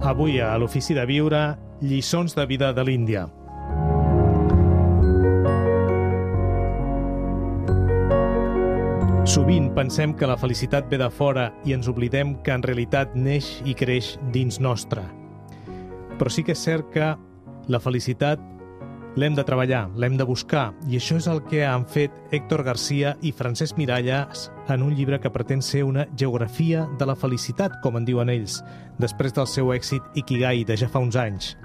Avui a l'Ofici de Viure, lliçons de vida de l'Índia. Sovint pensem que la felicitat ve de fora i ens oblidem que en realitat neix i creix dins nostre. Però sí que és cert que la felicitat l'hem de treballar, l'hem de buscar, i això és el que han fet Héctor García i Francesc Miralles en un llibre que pretén ser una geografia de la felicitat, com en diuen ells, després del seu èxit Ikigai de ja fa uns anys.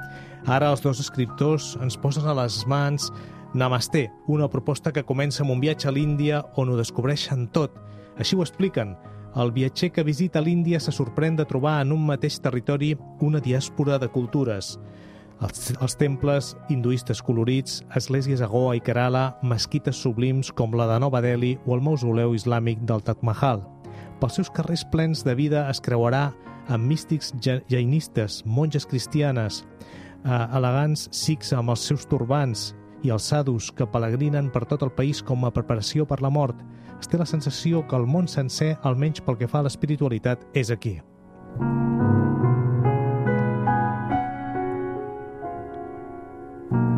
Ara els dos escriptors ens posen a les mans Namasté, una proposta que comença amb un viatge a l'Índia on ho descobreixen tot. Així ho expliquen. El viatger que visita l'Índia se sorprèn de trobar en un mateix territori una diàspora de cultures. Els temples hinduistes colorits, esglésies a Goa i Kerala, mesquites sublims com la de Nova Delhi o el mausoleu islàmic del Taj Mahal. Pels seus carrers plens de vida es creuarà amb místics jainistes, monges cristianes, elegants sikhs amb els seus turbants i els sadhus que pelegrinen per tot el país com a preparació per la mort. Es té la sensació que el món sencer, almenys pel que fa a l'espiritualitat, és aquí.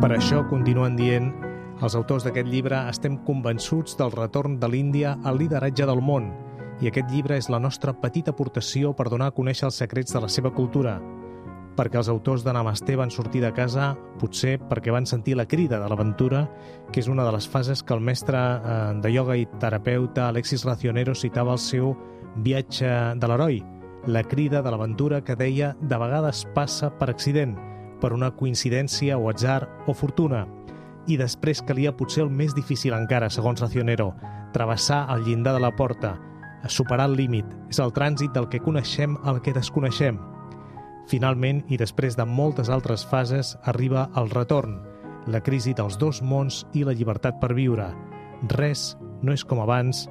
Per això, continuen dient, els autors d'aquest llibre estem convençuts del retorn de l'Índia al lideratge del món, i aquest llibre és la nostra petita aportació per donar a conèixer els secrets de la seva cultura, perquè els autors de Namasté van sortir de casa, potser perquè van sentir la crida de l'aventura, que és una de les fases que el mestre de ioga i terapeuta Alexis Racionero citava al seu viatge de l'heroi, la crida de l'aventura que deia de vegades passa per accident, per una coincidència o atzar o fortuna. I després calia potser el més difícil encara, segons Racionero, travessar el llindar de la porta, superar el límit. És el trànsit del que coneixem al que desconeixem. Finalment, i després de moltes altres fases, arriba el retorn, la crisi dels dos mons i la llibertat per viure. Res no és com abans.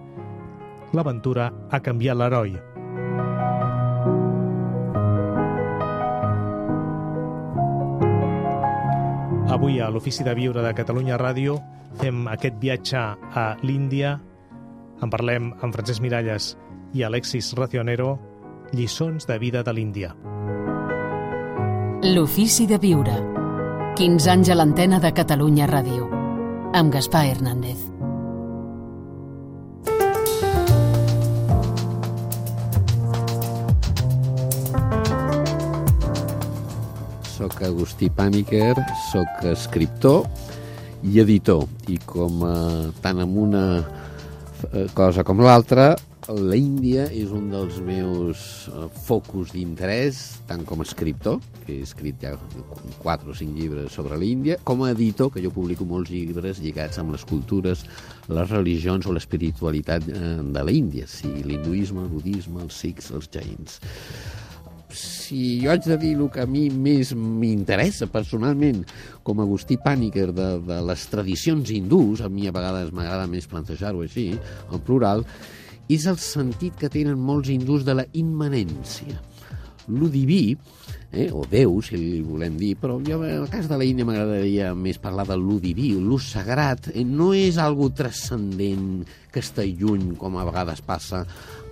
L'aventura ha canviat l'heroi. Avui a l'Ofici de Viure de Catalunya Ràdio fem aquest viatge a l'Índia. En parlem amb Francesc Miralles i Alexis Racionero, lliçons de vida de l'Índia. L'Ofici de Viure. 15 anys a l'antena de Catalunya Ràdio. Amb Gaspar Hernández. Soc Agustí Pàniker, soc escriptor i editor, i tant en una cosa com l'altra, l'Índia és un dels meus focus d'interès, tant com a escriptor, que he escrit ja 4 o 5 llibres sobre l'Índia, com a editor, que jo publico molts llibres lligats amb les cultures, les religions o l'espiritualitat de l'Índia, sigui l'hinduisme, el budisme, els sikhs, els jains. Si jo haig de dir el que a mi més m'interessa personalment com a Agustí Pàniker de les tradicions hindús, a mi a vegades m'agrada més plantejar-ho així, en plural, és el sentit que tenen molts hindús de la immanència. Lo diví, o Déu, si li volem dir, però jo, en el cas de la Índia m'agradaria més parlar de lo diví, lo sagrat, no és algo transcendent que està lluny, com a vegades passa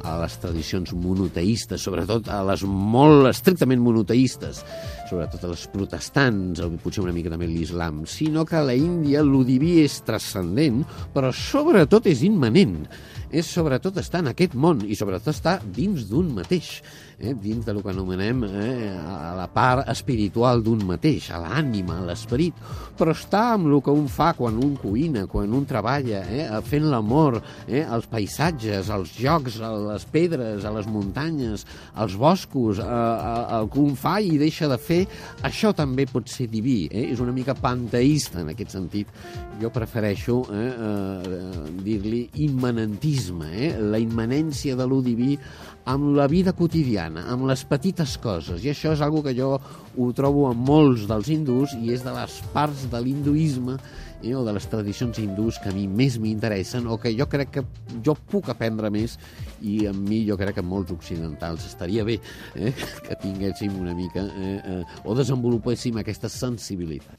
a les tradicions monoteistes, sobretot a les molt estrictament monoteistes, sobretot a les protestants, o potser una mica també l'islam, sinó que a la Índia lo diví és transcendent, però sobretot és immanent. És sobretot estar en aquest món i sobretot estar dins d'un mateix, dins del que anomenem a la part espiritual d'un mateix, a l'ànima, a l'esperit, però estar amb el que un fa quan un cuina, quan un treballa, fent l'amor, els paisatges, els jocs, les pedres, a les muntanyes, als boscos, el que un fa i deixa de fer, això també pot ser diví, és una mica panteista en aquest sentit. Jo prefereixo dir-li immanentisme, la immanència de lo diví amb la vida quotidiana, amb les petites coses, i això és una cosa que jo ho trobo en molts dels hindús i és de les parts de l'hinduisme o de les tradicions hindús que a mi més m'interessen o que jo crec que jo puc aprendre més i a mi jo crec que molts occidentals estaria bé que tinguéssim una mica o desenvolupéssim aquesta sensibilitat.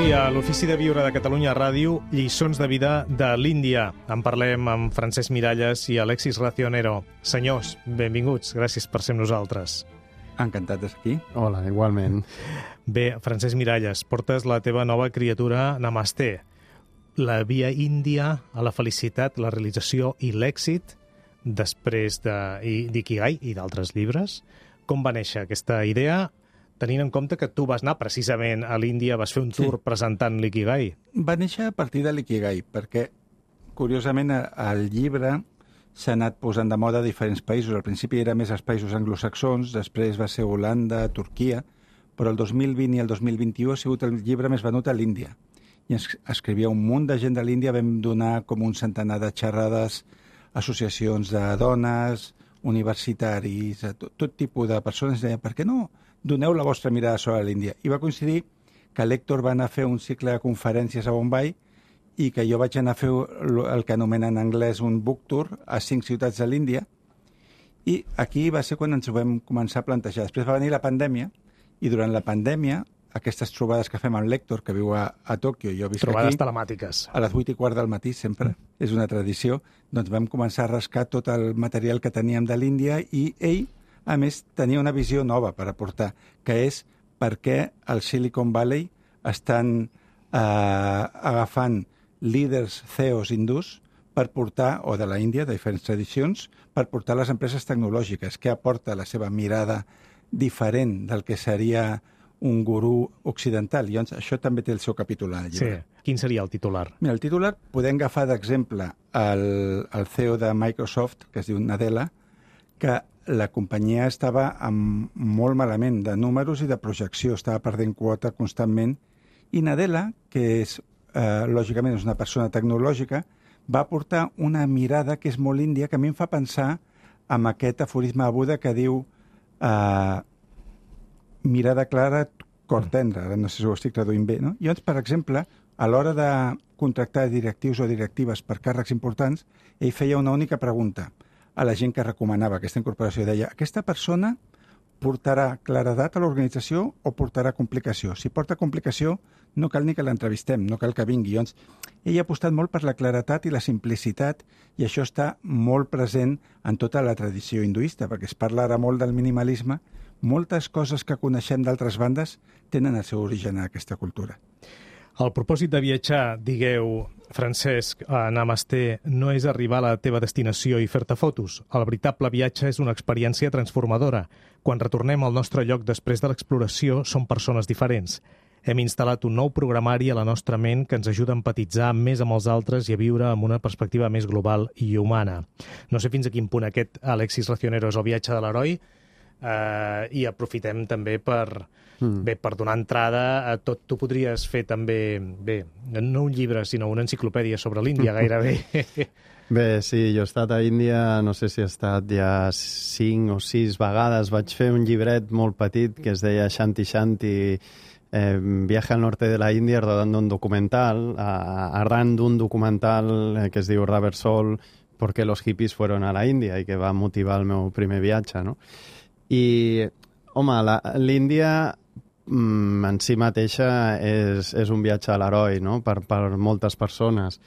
Avui a l'Ofici de Viure de Catalunya Ràdio, lliçons de vida de l'Índia. En parlem amb Francesc Miralles i Alexis Racionero. Senyors, benvinguts, gràcies per ser amb nosaltres. Encantat d'estar aquí. Hola, igualment. Bé, Francesc Miralles, portes la teva nova criatura Namasté, la via índia a la felicitat, la realització i l'èxit després d'Ikigai i d'altres llibres. Com va néixer aquesta idea, tenint en compte que tu vas anar precisament a l'Índia, vas fer un tour presentant l'Ikigai? Va néixer a partir de l'Ikigai, perquè, curiosament, el llibre s'ha anat posant de moda a diferents països. Al principi era més als països anglosaxons, després va ser Holanda, Turquia, però el 2020 i el 2021 ha sigut el llibre més venut a l'Índia. I escrivia un munt de gent de l'Índia, vam donar com un centenar de xerrades, associacions de dones, universitaris, tot tipus de persones. Deia, per què no doneu la vostra mirada sobre l'Índia? I va coincidir que l'Héctor va anar a fer un cicle de conferències a Bombay i que jo vaig anar a fer el que anomenen en anglès un book tour a 5 ciutats de l'Índia, i aquí va ser quan ens ho vam començar a plantejar. Després va venir la pandèmia, i durant la pandèmia, aquestes trobades que fem amb l'Héctor, que viu a Tòquio, jo visc Trobades aquí, telemàtiques. a les 8:15 del matí sempre, és una tradició, doncs vam començar a rascar tot el material que teníem de l'Índia, i ell, a més, tenia una visió nova per aportar, que és per què al Silicon Valley estan agafant líders CEOs hindús per portar, o de la Índia, de diferents tradicions, per portar les empreses tecnològiques, que aporta la seva mirada diferent del que seria un gurú occidental. I això també té el seu capítol al llibre. Sí. Quin seria el titular? Mira, el titular podem agafar d'exemple el CEO de Microsoft, que es diu Nadella, que la companyia estava molt malament de números i de projecció, estava perdent quota constantment, i Nadella, que és, lògicament és una persona tecnològica, va aportar una mirada que és molt índia, que a mi em fa pensar en aquest aforisme de Buda que diu mirada clara, cor tendre. Ara no sé si ho estic traduint bé, no? I llavors, per exemple, a l'hora de contractar directius o directives per càrrecs importants, ell feia una única pregunta a la gent que recomanava aquesta incorporació. Deia, aquesta persona portarà claredat a l'organització o portarà complicació? Si porta complicació, no cal ni que l'entrevistem, no cal que vingui. Llavors, ell ha apostat molt per la claretat i la simplicitat, i això està molt present en tota la tradició hinduista, perquè es parla ara molt del minimalisme. Moltes coses que coneixem d'altres bandes tenen el seu origen en aquesta cultura. El propòsit de viatjar, digueu, Francesc, a Namasté, no és arribar a la teva destinació i fer-te fotos. El veritable viatge és una experiència transformadora. Quan retornem al nostre lloc després de l'exploració, som persones diferents. Hem instal·lat un nou programari a la nostra ment que ens ajuda a empatitzar més amb els altres i a viure amb una perspectiva més global i humana. No sé fins a quin punt aquest, Alexis Racionero, és el viatge de l'heroi, i aprofitem també per donar entrada a tot. Tu podries fer també, no un llibre, sinó una enciclopèdia sobre l'Índia, gairebé. Bé, sí, jo he estat a Índia, no sé si he estat ja 5 o 6 vegades. Vaig fer un llibret molt petit que es deia Shanti Shanti, viaje al norte de la Índia, rodando un documental, arran d'un documental que es diu Rubber Soul, ¿por qué los hippies fueron a la Índia?, i que va motivar el meu primer viatge, no? I, home, l'Índia en si mateixa és un viatge a l'heroi, no?, per moltes persones,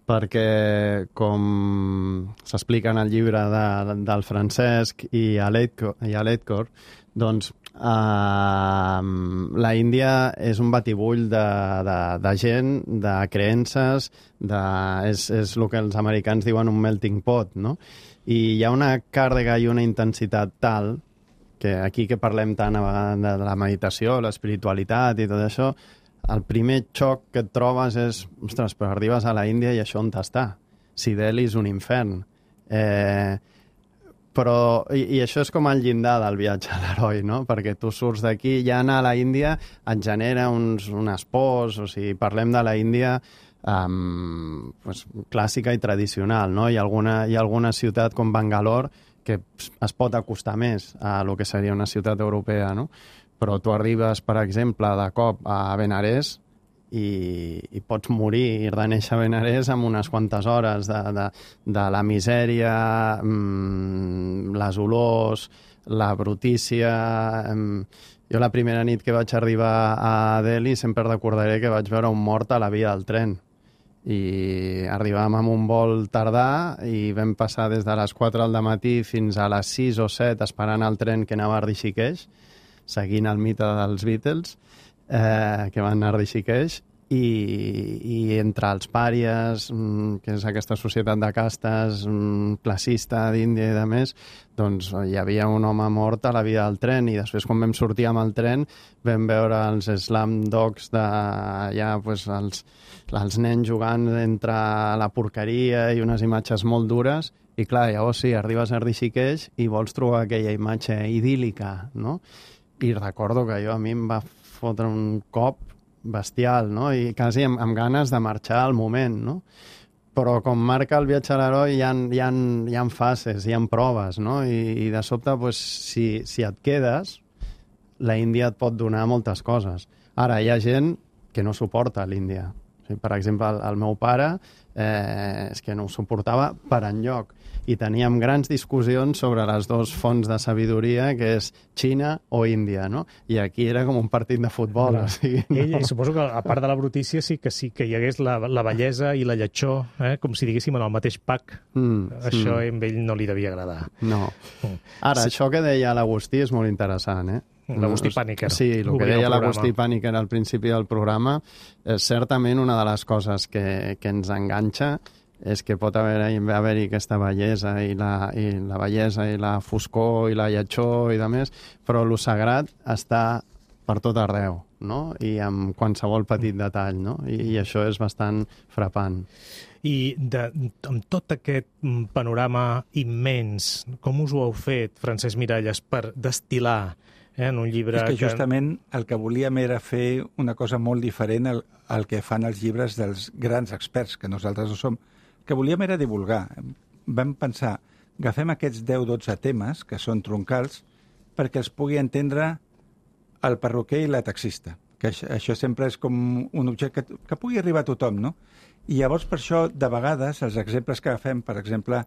perquè, com s'explica en el llibre del Francesc i a l'Héctor, doncs la Índia és un batibull de gent, de creences, és el que els americans diuen un melting pot, no? I hi ha una càrrega i una intensitat tal que aquí que parlem tant de la meditació, l'espiritualitat i tot això, el primer xoc que et trobes és, ostres, però arribes a la Índia i això on t'està? Si Delhi és un infern. Però, i això és com el llindar del viatge a l'heroi, no? Perquè tu surts d'aquí, ja anar a la Índia et genera unes pors, o sigui, parlem de la Índia clàssica i tradicional, no? Hi ha alguna ciutat com Bangalore que es pot acostar més a lo que seria una ciutat europea, no? Però tu arribes, per exemple, de cop a Benarés i pots morir i reneixer a Benarés en unes quantes hores de la misèria, les olors, la brutícia... Jo la primera nit que vaig arribar a Delhi sempre recordaré que vaig veure un mort a la via del tren. I arribàvem amb un vol tardà i vam passar des de les 4 del matí fins a les 6 o 7 esperant el tren que anava a Rishikesh, seguint el mite dels Beatles, que van anar a Rishikesh, i entre els pàries, que és aquesta societat de castes classista d'Índia i de més, doncs hi havia un home mort a la via del tren, i després quan vam sortir amb el tren vam veure els slam dogs d'allà, doncs, els nens jugant entre la porqueria i unes imatges molt dures, i clar, llavors sí, arribes a Rishikesh i vols trobar aquella imatge idíl·lica, no? I recordo que a mi em va fotre un cop bestial, no? I quasi amb ganes de marxar al moment, no? Però com marca el viatge a l'heroi hi ha fases, hi ha proves, no? I de sobte, pues, si et quedes, la Índia et pot donar moltes coses. Ara, hi ha gent que no suporta l'Índia. Per exemple, el meu pare és que no ho suportava per enlloc. I teníem grans discussions sobre les dues fonts de sabidoria, que és Xina o Índia, no? I aquí era com un partit de futbol. O sigui, no? Ell, suposo que a part de la brutícia sí que hi hagués la bellesa i la lletjor, com si diguéssim en el mateix pack. Això a ell no li devia agradar. No. Ara, això que deia l'Agustí és molt interessant, L'Agustí Pàniker. Sí, el que deia l'Agustí Pàniker al principi del programa és certament una de les coses que ens enganxa, és que pot haver-hi aquesta bellesa i la bellesa i la foscor i la lletjor i de més, però el sagrat està per tot arreu, no? I amb qualsevol petit detall, no? I això és bastant frapant. I amb tot aquest panorama immens, com us ho heu fet, Francesc Miralles, per destil·lar en un llibre... És que justament el que volíem era fer una cosa molt diferent al que fan els llibres dels grans experts, que nosaltres no som. El que volíem era divulgar. Vam pensar, agafem aquests 10-12 temes, que són troncals, perquè els pugui entendre el perruquer i la taxista. Que això sempre és com un objecte que pugui arribar a tothom, no? I llavors, per això, de vegades, els exemples que agafem, per exemple,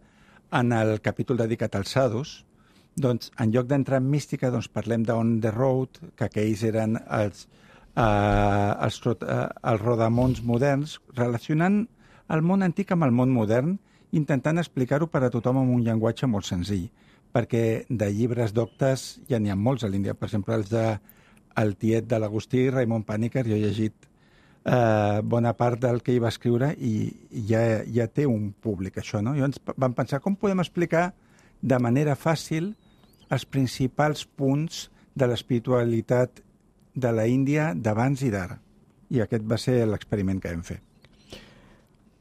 en el capítol dedicat als sadhus, doncs, en lloc d'entrar en mística, doncs, parlem d'on the road, que aquells eren els rodamons moderns, relacionant el món antic amb el món modern, intentant explicar-ho per a tothom amb un llenguatge molt senzill, perquè de llibres doctes ja n'hi ha molts a l'Índia. Per exemple, els el tiet de l'Agustí, Raimon Pàniker, jo he llegit bona part del que hi va escriure i ja té un públic, això, no? Llavors vam pensar com podem explicar de manera fàcil els principals punts de l'espiritualitat de la Índia d'abans i d'ara. I aquest va ser l'experiment que vam fer.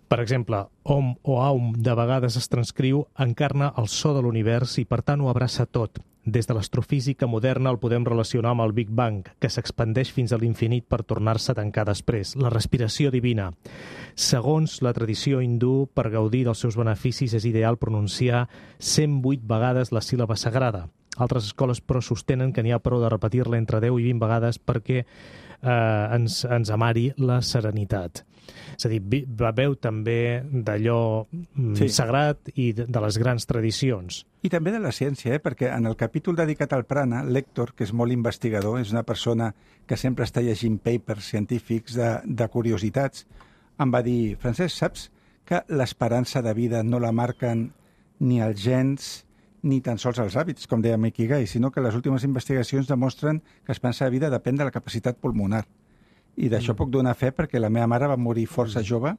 Per exemple, Om o Aum de vegades es transcriu, encarna el so de l'univers i per tant ho abraça tot. Des de l'astrofísica moderna el podem relacionar amb el Big Bang, que s'expandeix fins a l'infinit per tornar-se a tancar després, la respiració divina. Segons la tradició hindú, per gaudir dels seus beneficis és ideal pronunciar 108 vegades la síl·laba sagrada. Altres escoles, però, sostenen que n'hi ha prou de repetir-la entre 10 i 20 vegades perquè ens amari la serenitat. És a dir, beveu també d'allò sagrat i de les grans tradicions. I també de la ciència, perquè en el capítol dedicat al prana, l'Héctor, que és molt investigador, és una persona que sempre està llegint papers científics de curiositats, em va dir, Francesc, saps que l'esperança de vida no la marquen ni els gens ni tan sols els hàbits, com deia Ikigai, sinó que les últimes investigacions demostren que l'esperança de vida depèn de la capacitat pulmonar. I d'això puc donar fe perquè la meva mare va morir força jove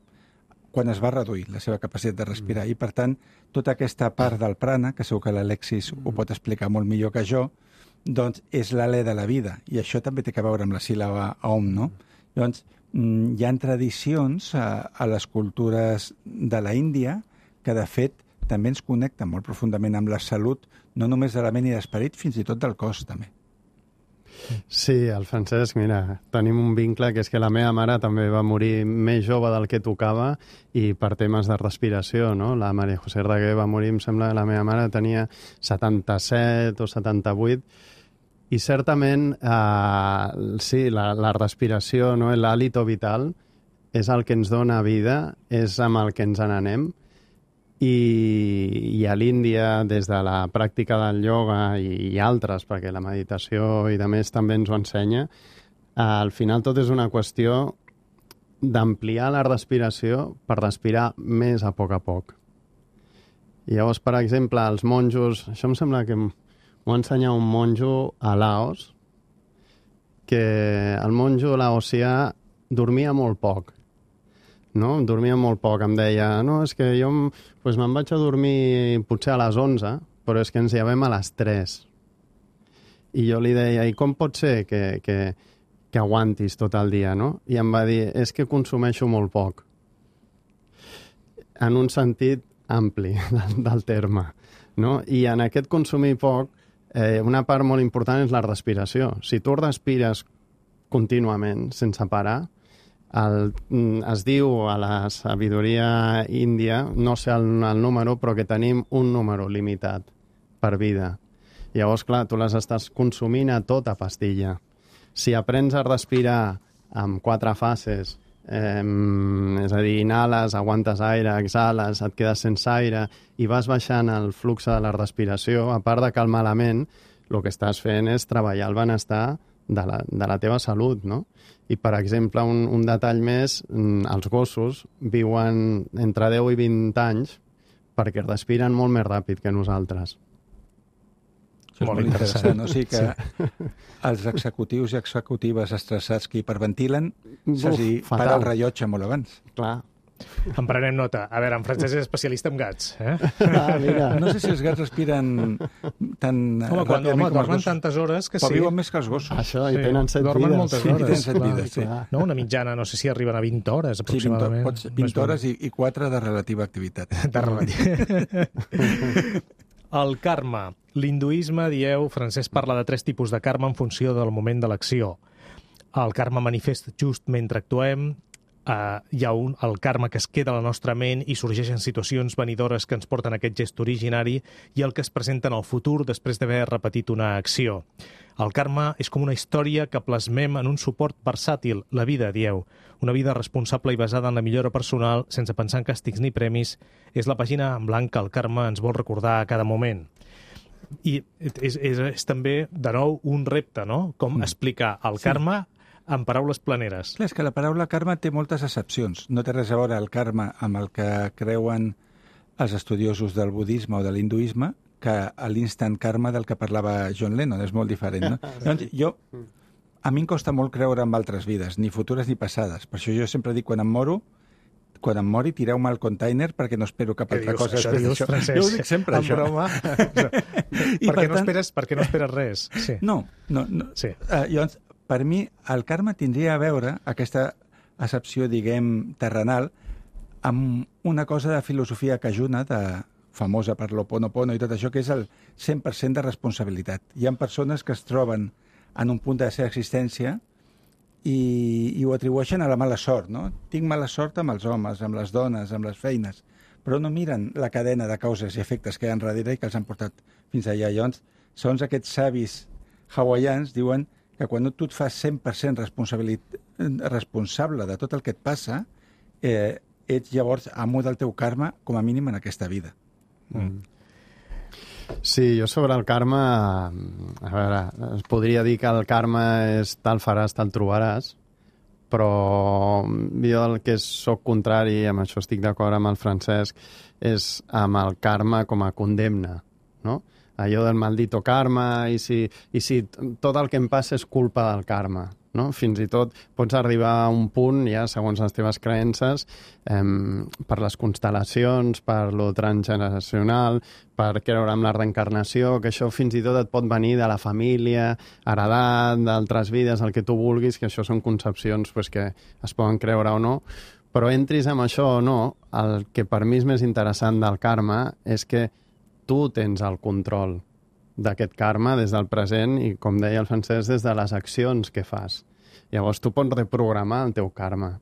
quan es va reduir la seva capacitat de respirar. I, per tant, tota aquesta part del prana, que segur que l'Alexis ho pot explicar molt millor que jo, doncs és l'alè de la vida. I això també té a veure amb la síl·laba Om, no? Llavors, hi ha tradicions a les cultures de la Índia que, de fet, també ens connecten molt profundament amb la salut, no només de la ment i d'esperit, fins i tot del cos, també. Sí, el Francesc, mira, tenim un vincle que és que la meva mare també va morir més jove del que tocava i per temes de respiració, no? La Maria José Raguer va morir, em sembla que la meva mare tenia 77 o 78 i certament, sí, la respiració, no? L'hàlito vital és el que ens dona vida, és amb el que ens n'anem I a l'Índia, des de la pràctica del ioga i altres, perquè la meditació i de més també ens ho ensenya, al final tot és una qüestió d'ampliar la respiració per respirar més a poc. I llavors, per exemple, els monjos... Això em sembla que m'ho va ensenyar un monjo a Laos, que el monjo laosià dormia molt poc. No? Dormia molt poc, em deia, no, és que jo me'n vaig a dormir potser a les 11, però és que ens llevem a les 3. I jo li deia, i com pot ser que aguantis tot el dia, no? I em va dir, és que consumeixo molt poc. En un sentit ampli del terme, no? I en aquest consumir poc, una part molt important és la respiració. Si tu respires contínuament, sense parar, es diu a la sabidoria índia, no sé el número, però que tenim un número limitat per vida. Llavors, clar, tu les estàs consumint a tota pastilla. Si aprens a respirar amb 4 fases, és a dir, inhales, aguantes aire, exhales, et quedes sense aire i vas baixant el flux de la respiració, a part de calmar la ment, el que estàs fent és treballar el benestar de la teva salut, no? I, per exemple, un detall més, els gossos viuen entre 10 i 20 anys perquè respiren molt més ràpid que nosaltres. Això és molt interessant. O sigui que els executius i executives estressats que hiperventilen, para el rellotge molt abans. Clar. En prenem nota. A veure, en Francesc és especialista en gats. Mira. No sé si els gats respiren tan ràpidament com els dormen tantes hores que però viuen més que els gossos. Això, i tenen 7 dormen vides. moltes hores. Tenen 7 vides, sí. No, una mitjana, no sé si arriben a 20 hores, aproximadament. Sí, 20 hores i 4 de relativa activitat. De relativa. El karma. L'hinduisme, dieu, Francesc parla de 3 tipus de karma en funció del moment de l'acció. El karma manifest just mentre actuem, hi ha el karma que es queda a la nostra ment i sorgeixen situacions venidores que ens porten a aquest gest originari i el que es presenta en el futur després d'haver repetit una acció. El karma és com una història que plasmem en un suport versàtil, la vida, dieu. Una vida responsable i basada en la millora personal, sense pensar en càstigs ni premis, és la pàgina en blanc que el karma ens vol recordar a cada moment. I és també, de nou, un repte, no? Com explicar el karma en paraules planeres. Clar, és que la paraula karma té moltes accepcions. No té res a veure el karma amb el que creuen els estudiosos del budisme o de l'hinduisme que l'instant karma del que parlava John Lennon. És molt diferent, no? Llavors, a mi em costa molt creure en altres vides, ni futures ni passades. Per això jo sempre dic, quan em mori, tireu-me al container perquè no espero cap altra cosa. Això dius, Francesc? Jo ho dic sempre, això. En broma? perquè no esperes res. Sí. No. Sí. Llavors, per mi, el karma tindria a veure, aquesta accepció, diguem, terrenal, amb una cosa de filosofia cajuna, famosa per l'Ho'oponopono i tot això, que és el 100% de responsabilitat. Hi ha persones que es troben en un punt de la seva existència i ho atribueixen a la mala sort, no? Tinc mala sort amb els homes, amb les dones, amb les feines, però no miren la cadena de causes i efectes que hi ha darrere i que els han portat fins allà. Llavors, segons aquests savis hawaians, diuen que quan tu et fas 100% responsable de tot el que et passa, ets llavors amo del teu karma, com a mínim en aquesta vida. Sí, jo sobre el karma, a veure, es podria dir que el karma és tal faràs, tal trobaràs, però jo el que sóc contrari, amb això estic d'acord amb el Francesc, és amb el karma com a condemna, no? Allò del maldito karma, i si tot el que em passa és culpa del karma, no? Fins i tot pots arribar a un punt, ja segons les teves creences, per les constel·lacions, per lo transgeneracional, per creure en la reencarnació, que això fins i tot et pot venir de la família, heredat, d'altres vides, el que tu vulguis, que això són concepcions pues, que es poden creure o no, però entris amb això o no, el que per mi és més interessant del karma és que tu tens el control d'aquest karma des del present i, com deia el Francesc, des de les accions que fas. Llavors, tu pots reprogramar el teu karma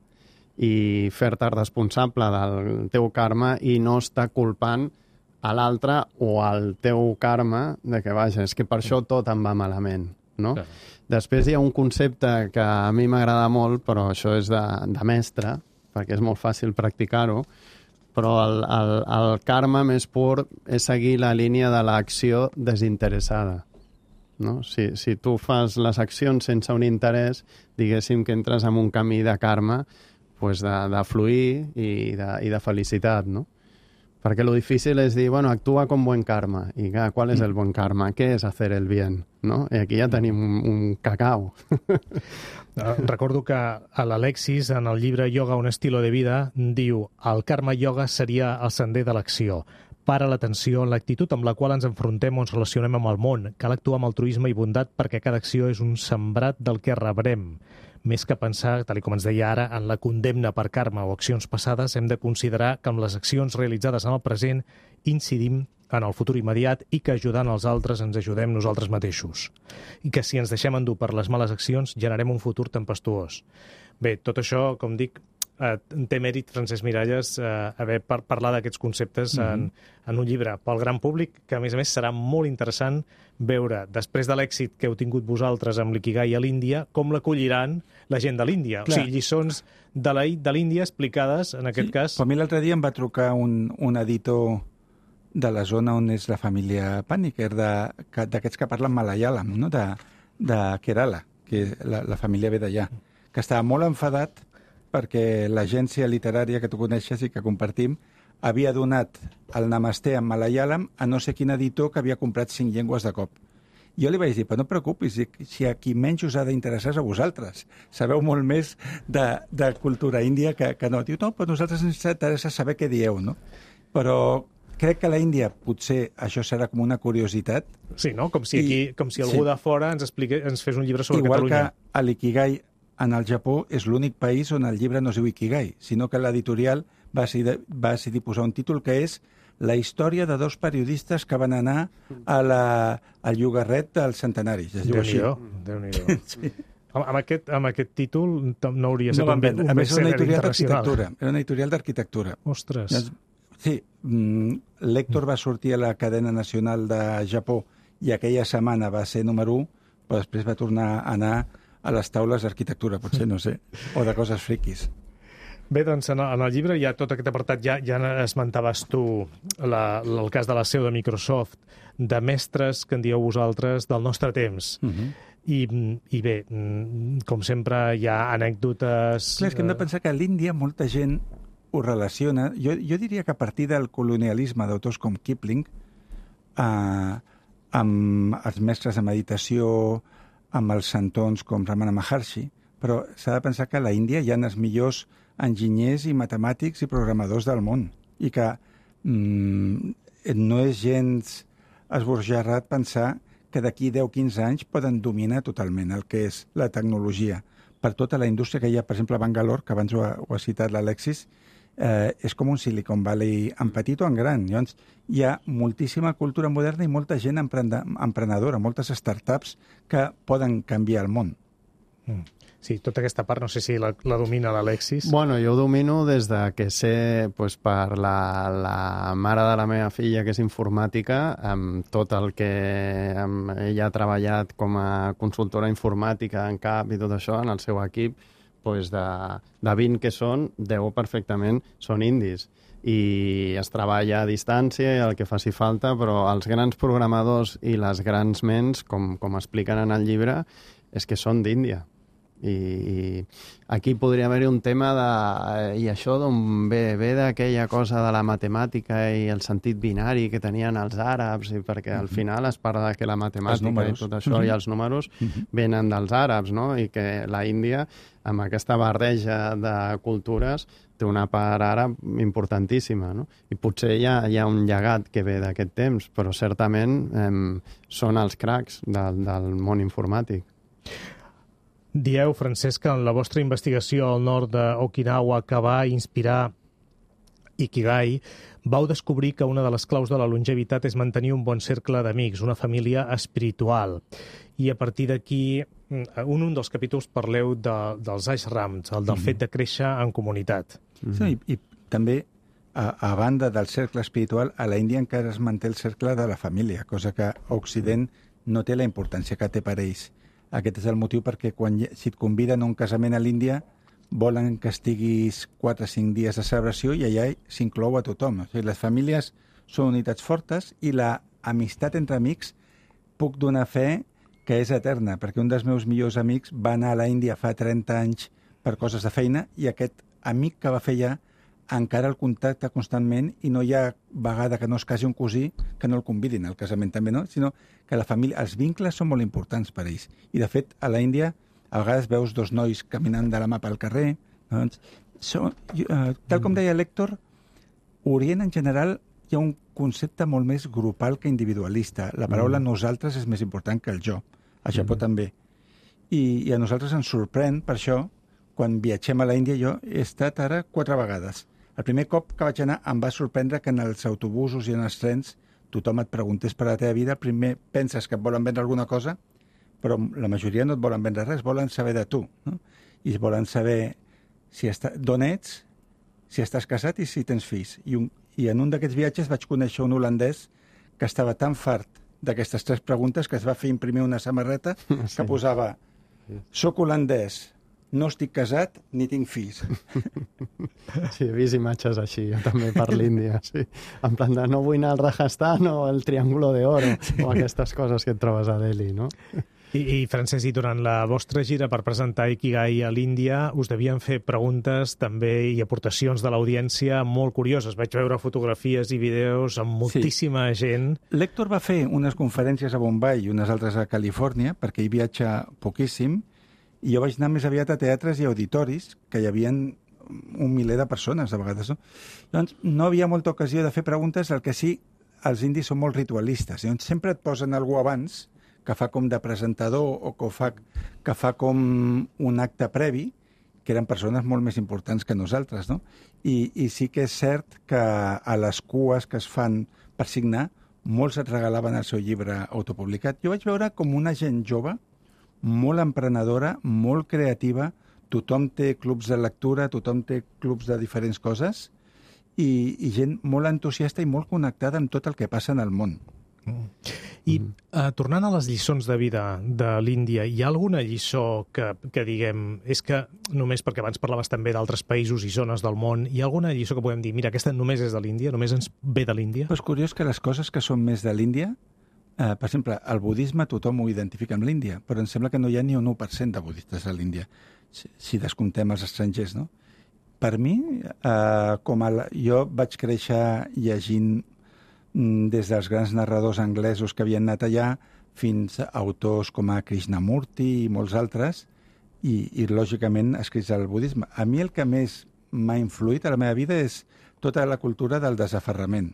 i fer-te responsable del teu karma i no estar culpant a l'altre o al teu karma de que, vaja, és que per això tot em va malament, no? Clar. Després hi ha un concepte que a mi m'agrada molt, però això és de mestre, perquè és molt fàcil practicar-ho, Però el karma més pur és seguir la línia de l'acció desinteressada. No? Si tu fas les accions sense un interès, diguéssim que entres en un camí de karma, pues de fluir i de felicitat, no? Perquè lo difícil és dir, bueno, actua con buen karma. I clar, ¿cuál es el buen karma? ¿Qué es hacer el bien? No? I aquí ja tenim un cacao. Recordo que a l'Alexis, en el llibre Yoga, un estilo de vida, diu el karma yoga seria el sender de l'acció. Para l'atenció en l'actitud amb la qual ens enfrontem o ens relacionem amb el món. Cal actuar amb altruisme i bondat perquè cada acció és un sembrat del que rebrem. Més que pensar, tal com ens deia ara, en la condemna per karma o accions passades, hem de considerar que amb les accions realitzades en el present incidim en el futur immediat i que ajudant els altres ens ajudem nosaltres mateixos. I que si ens deixem endur per les males accions generem un futur tempestuós. Bé, tot això, com dic, té mèrit, Francesc Miralles, haver parlat d'aquests conceptes en un llibre pel gran públic, que a més serà molt interessant veure, després de l'èxit que heu tingut vosaltres amb l'Ikigai a l'Índia, com l'acolliran la gent de l'Índia. O sigui, lliçons de l'Índia explicades, en aquest cas... A mi l'altre dia em va trucar un editor de la zona on és la família Paniker, d'aquests que parlen malayalam, no? de Kerala, que la família ve d'allà, que estava molt enfadat perquè l'agència literària que tu coneixes i que compartim havia donat el Namasté en malayalam a no sé quin editor que havia comprat 5 llengües de cop. Jo li vaig dir, però no et preocupis, si a qui menys us ha d'interessar és a vosaltres. Sabeu molt més de cultura índia que no. Diu, no, però nosaltres ens interessa saber què dieu, no? Però crec que a l'Índia potser això serà com una curiositat. Sí, no? Com si algú de fora ens fes un llibre sobre Igual Catalunya. Igual que a l'Ikigai en el Japó és l'únic país on el llibre no es diu Ikigai, sinó que l'editorial va decidir posar un títol que és la història de 2 periodistes que van anar al llogarret dels centenaris. Es diu així. Déu-n'hi-do. Sí. Amb aquest títol no hauria estat un bestseller internacional. Era una editorial d'arquitectura. Ostres. Sí, l'Hèctor va sortir a la cadena nacional de Japó i aquella setmana va ser número 1, però després va tornar a anar a les taules d'arquitectura, potser, no sé, o de coses friquis. Bé, doncs en el llibre hi ha tot aquest apartat, ja esmentaves tu el cas de la seu de Microsoft, de mestres que en dieu vosaltres del nostre temps. I bé, com sempre, hi ha anècdotes... Clar, és que hem de pensar que a l'Índia molta gent ho relaciona. Jo diria que a partir del colonialisme d'autors com Kipling, amb els mestres de meditació, amb els santons com Ramana Maharshi, però s'ha de pensar que a la Índia hi ha els millors enginyers i matemàtics i programadors del món i que no és gens esbojarrat pensar que d'aquí 10-15 anys poden dominar totalment el que és la tecnologia. Per tota la indústria que hi ha, per exemple, a Bangalore, que abans ho ha citat l'Alexis, és com un Silicon Valley en petit o en gran. Llavors, hi ha moltíssima cultura moderna i molta gent emprenedora, moltes startups que poden canviar el món. Sí, tota aquesta part no sé si la domina l'Alexis. Bueno, jo ho domino des de que sé, pues, per la mare de la meva filla, que és informàtica, amb tot el que ella ha treballat com a consultora informàtica en CAP i tot això, en el seu equip, pues de 20 que són, 10 perfectament són indis. I es treballa a distància i el que faci falta, però els grans programadors i les grans ments, com expliquen en el llibre, és que són d'Índia. I aquí podria haver-hi un tema i això d'on ve d'aquella cosa de la matemàtica i el sentit binari que tenien els àrabs, i perquè al final es parla de que la matemàtica i tot això i els números venen dels àrabs, no? I que la Índia, amb aquesta barreja de cultures, té una part àrab importantíssima, no? I potser hi ha un llegat que ve d'aquest temps, però certament són els cracs del món informàtic. Dieu, Francesc, que en la vostra investigació al nord d'Okinawa que va inspirar Ikigai, vau descobrir que una de les claus de la longevitat és mantenir un bon cercle d'amics, una família espiritual. I a partir d'aquí, un dels capítols parleu dels ashrams, el del fet de créixer en comunitat. Sí, i també, a banda del cercle espiritual, a la Índia encara es manté el cercle de la família, cosa que a Occident no té la importància que té per ells. Aquest és el motiu perquè si et conviden a un casament a l'Índia, volen que estiguis 4 o 5 dies de celebració i allà s'inclou a tothom. O sigui, les famílies són unitats fortes i la amistat entre amics puc donar fe que és eterna, perquè un dels meus millors amics va anar a l'Índia fa 30 anys per coses de feina i aquest amic que va fer allà encara el contacta constantment i no hi ha vegada que no es casi un cosí que no el convidin al casament també, no? Sinó que la família, els vincles són molt importants per a ells. I, de fet, a l'Índia a vegades veus dos nois caminant de la mà pel carrer. Doncs, tal com deia l'Héctor, Orient en general hi ha un concepte molt més grupal que individualista. La paraula nosaltres és més important que el jo. A Japó també. I a nosaltres ens sorprèn, per això, quan viatgem a l'Índia, jo he estat ara 4 vegades. El primer cop que vaig anar em va sorprendre que en els autobusos i en els trens tothom et preguntés per la teva vida. Primer penses que et volen vendre alguna cosa, però la majoria no et volen vendre res, volen saber de tu, no? I volen saber d'on ets, si estàs casat i si tens fills. I en un d'aquests viatges vaig conèixer un holandès que estava tan fart d'aquestes 3 preguntes que es va fer imprimir una samarreta que posava «Soc holandès, no estic casat ni tinc fills». Sí, he vist imatges així, jo també per l'Índia, sí. En plan de no vull anar al Rajasthan o el Triángulo de Oro, o aquestes coses que et trobes a Delhi, no? I Francesc, i durant la vostra gira per presentar Ikigai a l'Índia, us devien fer preguntes també i aportacions de l'audiència molt curioses. Vaig veure fotografies i vídeos amb moltíssima gent. L'Héctor va fer unes conferències a Bombay i unes altres a Califòrnia, perquè hi viatja poquíssim, i jo vaig anar més aviat a teatres i auditoris, que hi havia un miler de persones, a vegades, no? Doncs no havia molta ocasió de fer preguntes, el que sí, els indis són molt ritualistes. Llavors sempre et posen algú abans, que fa com de presentador o que fa com un acte previ, que eren persones molt més importants que nosaltres, no? I sí que és cert que a les cues que es fan per signar, molts et regalaven el seu llibre autopublicat. Jo vaig veure com una gent jove, molt emprenedora, molt creativa, tothom té clubs de lectura, tothom té clubs de diferents coses, i gent molt entusiasta i molt connectada amb tot el que passa en el món. I tornant a les lliçons de vida de l'Índia, hi ha alguna lliçó que diguem, és que només perquè abans parlaves també d'altres països i zones del món, hi ha alguna lliçó que podem dir, mira, aquesta només és de l'Índia, només ens ve de l'Índia? És curiós que les coses que són més de l'Índia, per exemple, el budisme tothom ho identifica amb l'Índia, però em sembla que no hi ha ni un 1% de budistes a l'Índia, si descomptem els estrangers, no? Per mi, jo vaig créixer llegint des dels grans narradors anglesos que havien anat allà fins a autors com a Krishnamurti i molts altres, i lògicament escrits al budisme. A mi el que més m'ha influït a la meva vida és tota la cultura del desaferrament,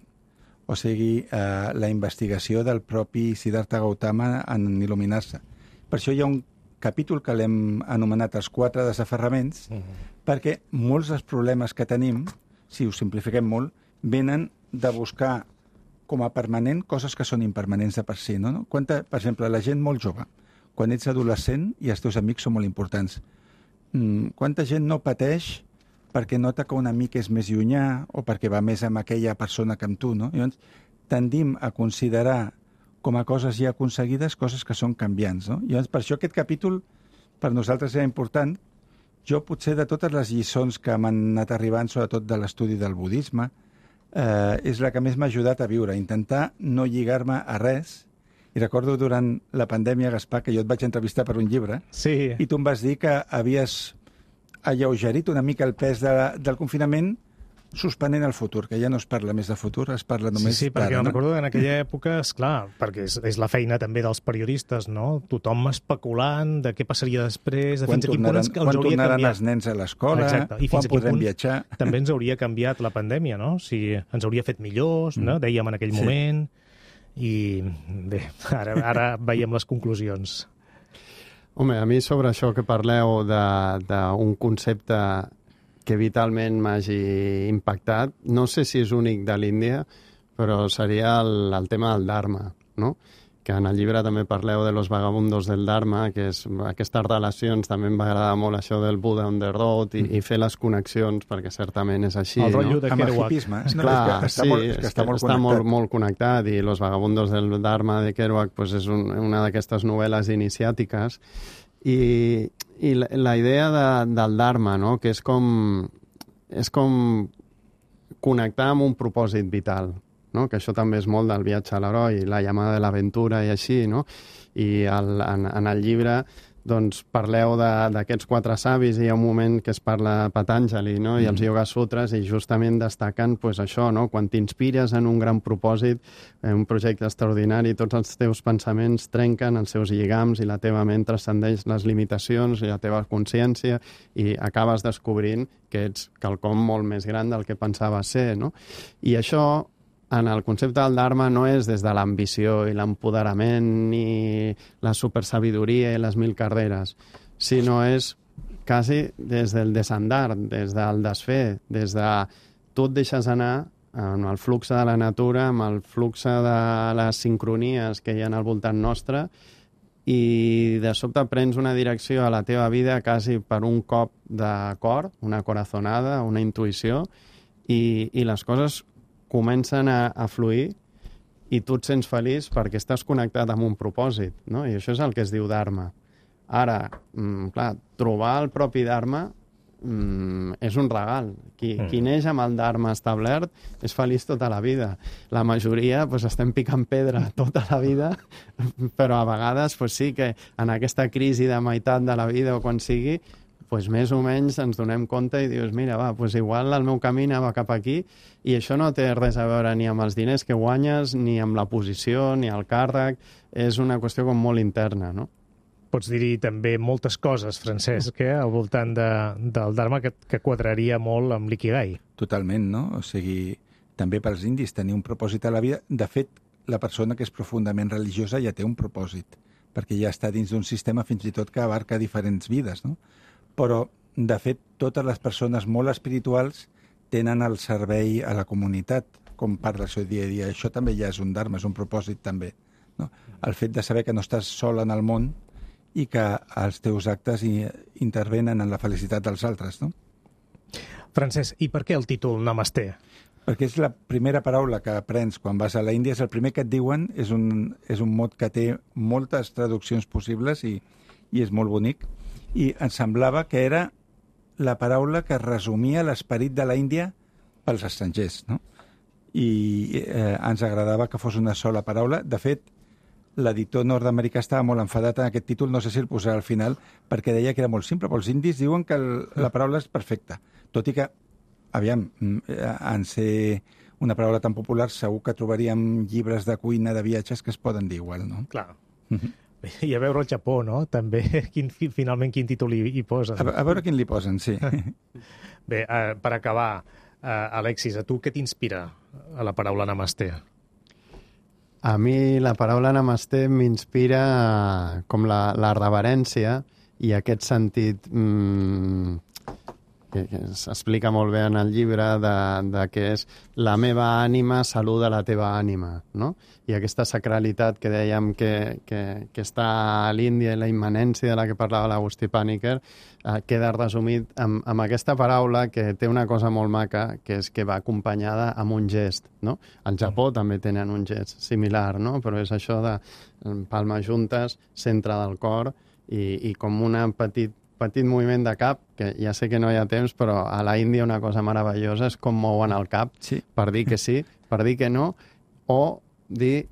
o sigui, la investigació del propi Siddhartha Gautama en il·luminar-se. Per això hi ha un capítol que l'hem anomenat els 4 desaferraments, perquè molts dels problemes que tenim, si ho simplifiquem molt, venen de buscar com a permanent coses que són impermanents de per si, no? Per exemple, la gent molt jove, quan ets adolescent i els teus amics són molt importants. Quanta gent no pateix perquè nota que un amic és més llunyà o perquè va més amb aquella persona que amb tu, no? Llavors, tendim a considerar com a coses ja aconseguides coses que són canviants, no? Llavors, per això aquest capítol per nosaltres era important. Jo potser de totes les lliçons que m'han anat arribant, sobretot de l'estudi del budisme, és la que més m'ha ajudat a viure, intentar no lligar-me a res. I recordo durant la pandèmia, Gaspar, que jo et vaig entrevistar per un llibre, i tu em vas dir que havies alleugerit una mica el pes del confinament suspenent el futur, que ja no es parla més de futur, es parla només Sí, perquè recordo que en aquella època, esclar, perquè és la feina també dels periodistes, no? Tothom especulant de què passaria després, de fins a quin punt ens hauria canviat. Quan tornaran els nens a l'escola, quan podrem viatjar. També ens hauria canviat la pandèmia, no? Si ens hauria fet millors, no? Dèiem en aquell moment, i bé, ara veiem les conclusions. Home, a mi sobre això que parleu d'un concepte que vitalment m'hagi impactat, no sé si és únic de l'Índia, però seria el tema del Dharma, no? Que en el llibre també parleu de los vagabundos del Dharma, que és aquestes relacions, també em va agradar molt això del Buddha on the road i fer les connexions, perquè certament és així. El rotllo de Kerouac. Amb el hipisme. Clar, està molt connectat, i los vagabundos del Dharma de Kerouac pues és una d'aquestes novel·les iniciàtiques I la idea del Dharma, no? Que és com connectar amb un propòsit vital, no? Que això també és molt del viatge a l'heroi, la llamada de l'aventura i així, no? I en el llibre doncs parleu d'aquests 4 savis i hi ha un moment que es parla Patanjali, no? I els Yoga Sutras, i justament destaquen pues, això, no? Quan t'inspires en un gran propòsit, en un projecte extraordinari, tots els teus pensaments trenquen els seus lligams i la teva ment transcendeix les limitacions i la teva consciència i acabes descobrint que ets quelcom molt més gran del que pensaves ser, no? I això en el concepte del Dharma no és des de l'ambició i l'empoderament ni la supersabidoria i les 1000 carreres, sinó és quasi des del desandar, des del desfer, des de tu et deixes anar amb el flux de la natura, amb el flux de les sincronies que hi ha al voltant nostre i de sobte prens una direcció a la teva vida quasi per un cop de cor, una corazonada, una intuïció i les coses comencen a fluir i tu et sents feliç perquè estàs connectat amb un propòsit, no? I això és el que es diu Dharma. Ara, clar, trobar el propi Dharma és un regal. Qui neix amb el Dharma establert és feliç tota la vida. La majoria pues, estem picant pedra tota la vida, però a vegades pues, sí que en aquesta crisi de meitat de la vida o quan sigui, pues més o menys ens donem compte i dius, mira, va, pues igual el meu camí anava cap aquí i això no té res a veure ni amb els diners que guanyes, ni amb la posició, ni el càrrec, és una qüestió com molt interna, no? Pots dir-hi també moltes coses, Francesc, al voltant del Dharma que quadraria molt amb l'Ikigai. Totalment, no? O sigui, també pels indis tenir un propòsit a la vida. De fet, la persona que és profundament religiosa ja té un propòsit, perquè ja està dins d'un sistema fins i tot que abarca diferents vides, no? Però, de fet, totes les persones molt espirituals tenen el servei a la comunitat com part del seu dia a dia. Això també ja és un dharma, és un propòsit també. No? El fet de saber que no estàs sol en el món i que els teus actes intervenen en la felicitat dels altres. No? Francesc, i per què el títol Namasté? Perquè és la primera paraula que aprens quan vas a la Índia, és el primer que et diuen, és un mot que té moltes traduccions possibles i és molt bonic. I ens semblava que era la paraula que resumia l'esperit de la Índia pels estrangers, no? I ens agradava que fos una sola paraula. De fet, l'editor nord-americà estava molt enfadat en aquest títol, no sé si el posarà al final, perquè deia que era molt simple, però els indis diuen que la paraula és perfecta. Tot i que, aviam, en ser una paraula tan popular, segur que trobaríem llibres de cuina, de viatges, que es poden dir igual, no? Clar. I a veure el Japó, no? També, finalment, quin títol hi posen. A veure quin li posen, sí. Bé, per acabar, Alexis, a tu què t'inspira a la paraula Namasté? A mi la paraula Namasté m'inspira com la reverència i aquest sentit que s'explica molt bé en el llibre de que és la meva ànima saluda la teva ànima, no? I aquesta sacralitat que dèiem que està a l'Índia i la immanència de la que parlava l'Agustí Pàniker queda resumit amb aquesta paraula que té una cosa molt maca, que és que va acompanyada amb un gest, no? Al Japó també tenen un gest similar, no? Però és això de palmes juntes, centre del cor i com un petit moviment de cap, que ja sé que no hi ha temps, però a la Índia una cosa meravellosa és com mouen el cap, sí, per dir que sí, per dir que no, o dir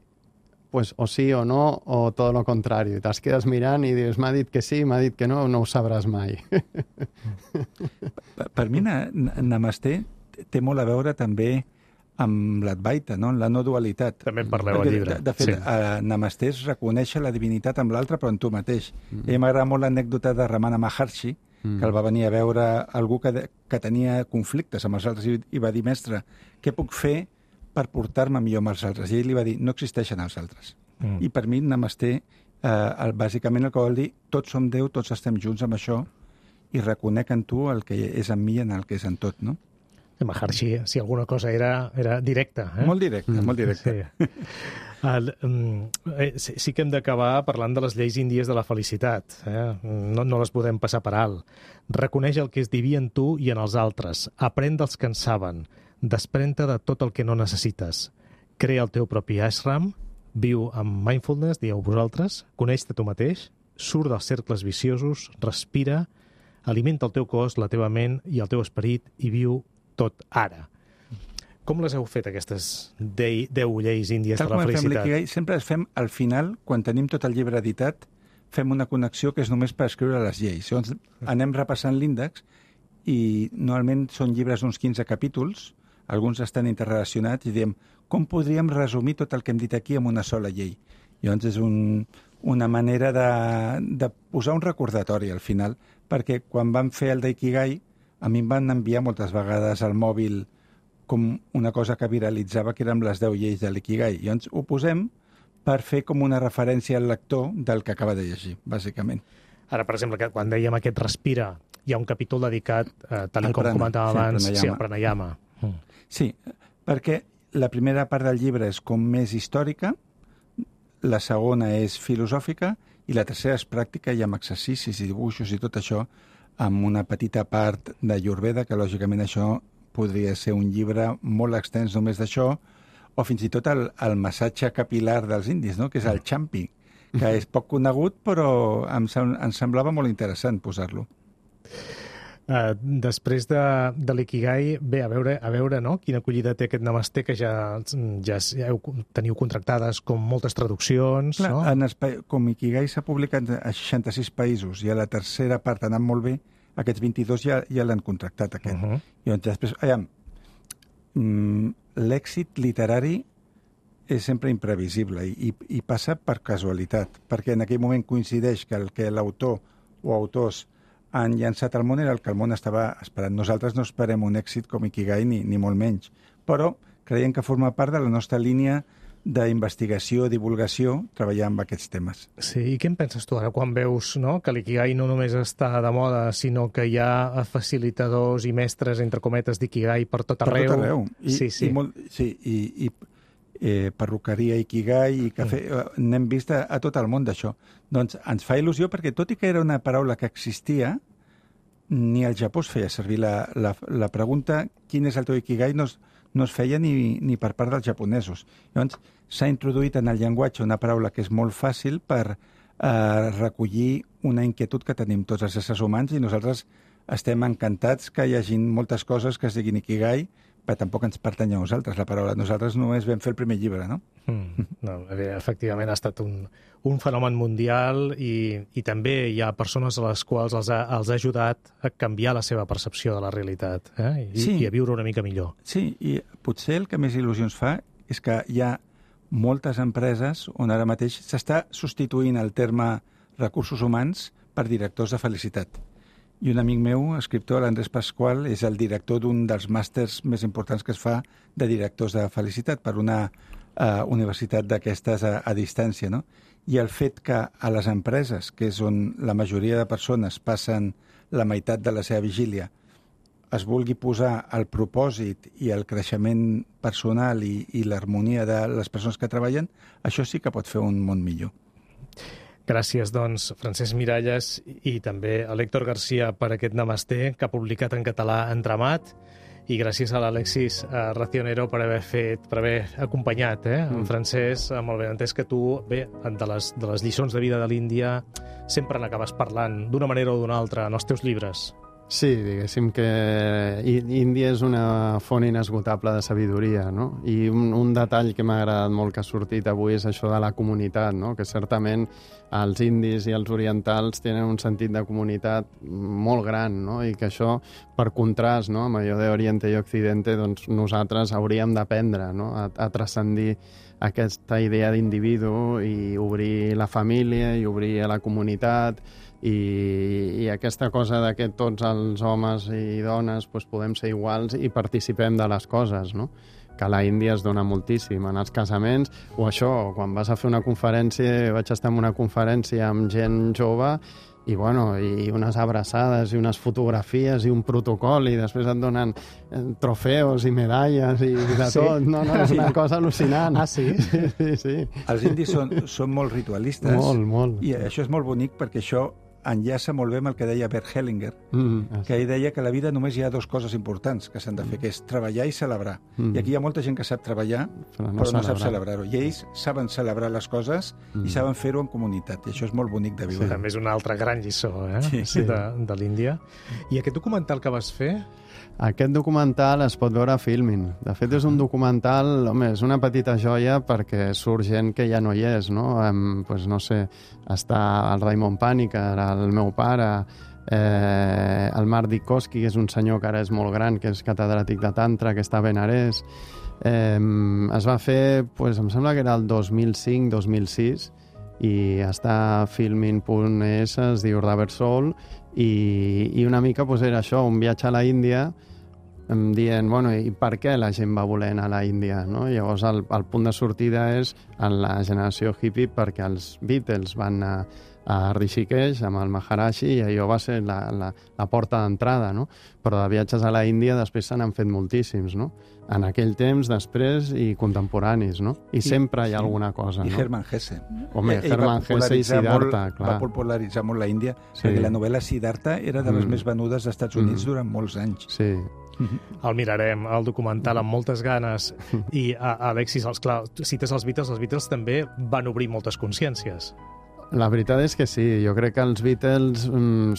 pues, o sí o no, o tot el contrari. Te'ls quedes mirant i dius, m'ha dit que sí, m'ha dit que no, no ho sabràs mai. Per mi, Namasté té molt a veure també amb l'Advaita, no? La no dualitat. També en parleu al llibre. De fet, Namasté és reconèixer la divinitat amb l'altre, però en tu mateix. I m'agrada molt l'anècdota de Ramana Maharshi, que el va venir a veure algú que tenia conflictes amb els altres i va dir, mestre, què puc fer per portar-me millor amb els altres? I ell li va dir, no existeixen els altres. I per mi, Namasté, bàsicament el que vol dir, tots som Déu, tots estem junts amb això, i reconec en tu el que és en mi i en el que és en tot, no? Maharshi, si alguna cosa era directa. Molt directa, molt directa. Sí. Sí que hem d'acabar parlant de les lleis índies de la felicitat. No les podem passar per alt. Reconeix el que és diví en tu i en els altres. Aprèn dels que en saben. Desprèn-te de tot el que no necessites. Crea el teu propi ashram. Viu amb mindfulness, dieu vosaltres. Coneix-te tu mateix. surt dels cercles viciosos, respira, alimenta el teu cos, la teva ment i el teu esperit i viu tot ara. Com les heu fet, aquestes 10 lleis índies de la felicitat? L'ikigai, sempre les fem al final, quan tenim tot el llibre editat, fem una connexió que és només per escriure les lleis. Llavors anem repassant l'índex i normalment són llibres d'uns 15 capítols, alguns estan interrelacionats i diem com podríem resumir tot el que hem dit aquí en una sola llei. Llavors és una manera de posar un recordatori al final, perquè quan vam fer el d'Ikigai, a mi em van enviar moltes vegades al mòbil com una cosa que viralitzava, que eren les 10 lleis de l'Ikigai. Llavors ho posem per fer com una referència al lector del que acaba de llegir, bàsicament. Ara, per exemple, que quan dèiem aquest respira, hi ha un capítol dedicat, tal com comentava abans, al pranayama. Sí, perquè la primera part del llibre és com més històrica, la segona és filosòfica i la tercera és pràctica i amb exercicis i dibuixos i tot això, amb una petita part de Ayurveda, que lògicament això podria ser un llibre molt extens només d'això, o fins i tot el massatge capilar dels indis, no? Que és el champi, que és poc conegut, però em semblava molt interessant posar-lo. Després de l'Ikigai, bé, a veure no? Quina acollida té aquest Namasté, que ja teniu contractades com moltes traduccions. Clar, no? Com Ikigai s'ha publicat a 66 països i a la tercera part ha anat molt bé, aquests 22 ja l'han contractat, aquest. I després, l'èxit literari és sempre imprevisible i passa per casualitat, perquè en aquell moment coincideix que el que l'autor o autors han llançat al món era el que el món estava esperant. Nosaltres no esperem un èxit com Ikigai ni molt menys, però creiem que forma part de la nostra línia d'investigació, divulgació, treballar amb aquests temes. Sí, i què en penses tu ara quan veus, no, que l'Ikigai no només està de moda, sinó que hi ha facilitadors i mestres, entre cometes, d'Ikigai per tot arreu? Per tot arreu. I perruqueria Ikigai i cafè, n'hem vist a tot el món d'això. Doncs ens fa il·lusió perquè, tot i que era una paraula que existia, ni al Japó es feia servir la pregunta quin és el teu Ikigai no es feia ni per part dels japonesos. Llavors, s'ha introduït en el llenguatge una paraula que és molt fàcil per recollir una inquietud que tenim tots els éssers humans i nosaltres estem encantats que hi hagi moltes coses que es diguin Ikigai, però tampoc ens pertany a nosaltres la paraula. Nosaltres només vam fer el primer llibre, no? No, efectivament ha estat un fenomen mundial i també hi ha persones a les quals els ha ajudat a canviar la seva percepció de la realitat i a viure una mica millor. Sí, i potser el que més il·lusions fa és que hi ha moltes empreses on ara mateix s'està substituint el terme recursos humans per directors de felicitat. I un amic meu, escriptor, l'Andrés Pasqual, és el director d'un dels màsters més importants que es fa de directors de felicitat per una universitat d'aquestes a distància, no? I el fet que a les empreses, que és on la majoria de persones passen la meitat de la seva vigília, es vulgui posar el propòsit i el creixement personal i l'harmonia de les persones que treballen, això sí que pot fer un món millor. Gràcies, doncs, Francesc Miralles i també a l'Héctor García per aquest Namasté que ha publicat en català Entramat i gràcies a l'Alexis Racionero per haver acompanyat en Francesc, amb el benentès que tu, bé, de les lliçons de vida de l'Índia sempre n'acabes parlant d'una manera o d'una altra en els teus llibres. Sí, diguéssim que Índia és una font inesgotable de sabidoria, no? I un detall que m'ha agradat molt que ha sortit avui és això de la comunitat, no? Que certament els indis i els orientals tenen un sentit de comunitat molt gran, no? I que això, per contrast, no? Amb allò d'Oriente i Occidente, doncs nosaltres hauríem d'aprendre, no? A transcendir aquesta idea d'individu i obrir la família i obrir a la comunitat i aquesta cosa de que tots els homes i dones doncs, podem ser iguals i participem de les coses, no? Que a la Índia es dona moltíssim en els casaments, o això, quan vas a fer una conferència, vaig estar en una conferència amb gent jove i, bueno, i unes abraçades i unes fotografies i un protocol i després et donen trofeus i medalles i de tot. No, és una cosa al·lucinant. Ah, sí? Sí. Els indis són molt ritualistes. Molt. I això és molt bonic perquè això enllaça molt bé amb el que deia Bert Hellinger, que ell deia que a la vida només hi ha dues coses importants que s'han de fer, que és treballar i celebrar. I aquí hi ha molta gent que sap treballar, però no sap celebrar-ho. I ells saben celebrar les coses i saben fer-ho en comunitat, i això és molt bonic de viure. Sí, també és una altra gran lliçó, de l'Índia. I aquest documental que vas fer? Aquest documental es pot veure a Filmin. De fet, és un documental, home, és una petita joia perquè surt gent que ja no hi és, no? Pues no sé, està el Raimon Pànica, el meu pare, el Marc Dikowski, que és un senyor que ara és molt gran, que és catedràtic de Tantra, que està a Benarés. Es va fer, pues, em sembla que era el 2005-2006, i està a filmin.es, es diu Rubber Soul, i una mica pues, era això, un viatge a la Índia, dient, bueno, i per què la gent va voler anar a la Índia, no? Llavors el punt de sortida és en la generació hippie, perquè els Beatles van anar a Rishikesh amb el Maharaji i allò va ser la porta d'entrada, no? Però de viatges a la Índia després se n'han fet moltíssims, no? En aquell temps, després i contemporanis, no? I sempre hi ha alguna cosa, no? I Hermann Hesse. Home, Hermann Hesse i Siddhartha, clar. Va popularitzar molt la Índia, perquè la novel·la Siddhartha era de les més venudes als Estats Units durant molts anys. Sí. El mirarem, el documental, amb moltes ganes. I, Alexis, clar, cites els Beatles també van obrir moltes consciències. La veritat és que sí, jo crec que els Beatles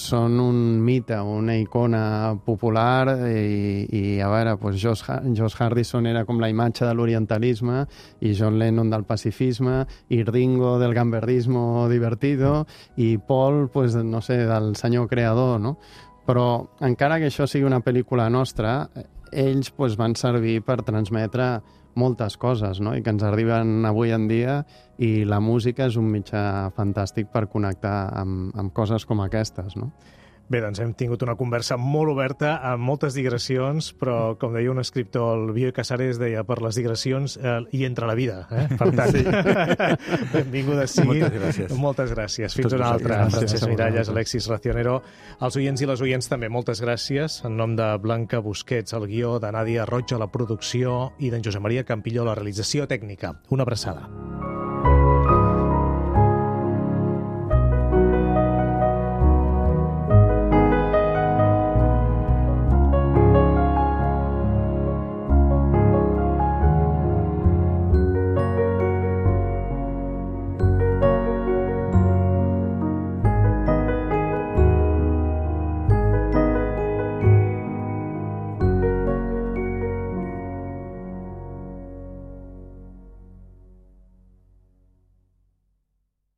són un mite, una icona popular i a veure, pues George Harrison era com la imatge de l'orientalisme i John Lennon del pacifisme i Ringo del gambardismo divertido i Paul, pues, no sé, del senyor creador, no? Però encara que això sigui una pel·lícula nostra, ells pues, van servir per transmetre moltes coses, no? I que ens arriben avui en dia, i la música és un mitjà fantàstic per connectar amb coses com aquestes, no? Bé, doncs hem tingut una conversa molt oberta, amb moltes digressions, però, com deia un escriptor, el Bioy Casares deia, per les digressions hi entra la vida. Per tant, benvinguda sigui. Moltes gràcies. Moltes gràcies. Fins una altra. Francesc Miralles, Alexis Racionero. Els oients i les oients també, moltes gràcies. En nom de Blanca Busquets, el guió, de Nàdia Roig a la producció i d'en Josep Maria Campillo, la realització tècnica. Una abraçada.